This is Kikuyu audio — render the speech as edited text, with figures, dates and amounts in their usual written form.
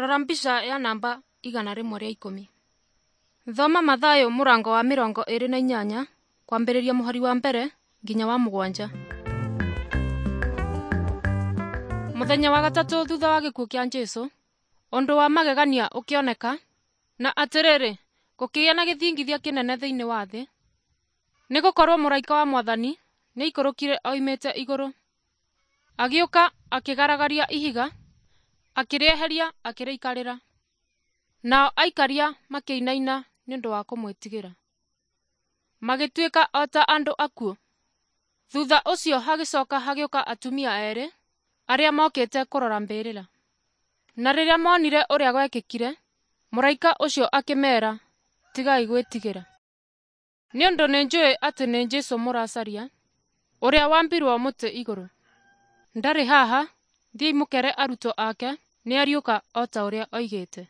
Rora mbica ya namba 110. Thoma Mathayo mũrango wa 28 kwambĩrĩria mũhari wa 1 nginya wa 7. Mũthenya wa gatatũ thutha wa gĩkuũ kĩa Jesũ, ũndũ wa magegania ũkĩoneka, na atĩrĩrĩ, gũkĩgĩa na gĩthingithia kĩnene thĩinĩ wa thĩ, nĩgũkorwo mũraika wa Mwathani nĩaikũrũkire oimĩte igũrũ, agĩũka akĩgaragaria ihiga, akĩrĩeheria akĩrĩikarĩra. Nao aikaria makĩinaina nĩ ũndũ wa kũmwĩtigĩra, magĩtuĩka o ta andũ akuũ. Thutha ũcio hagĩcoka hagĩũka atumia erĩ arĩa mokĩte kũrora mbĩrĩra. Na rĩrĩa monire ũrĩa gwekĩkire, mũraika ũcio akĩmeera, “Tigai gwĩtigĩra. Nĩ ũndũ nĩnjũĩ atĩ nĩ Jesũ mũracaria, ũrĩa waambirwo mũtĩ igũrũ. Ndarĩ haha, thiĩi mũkere arutwo ake nĩariũka o ta ũrĩa oigĩte.”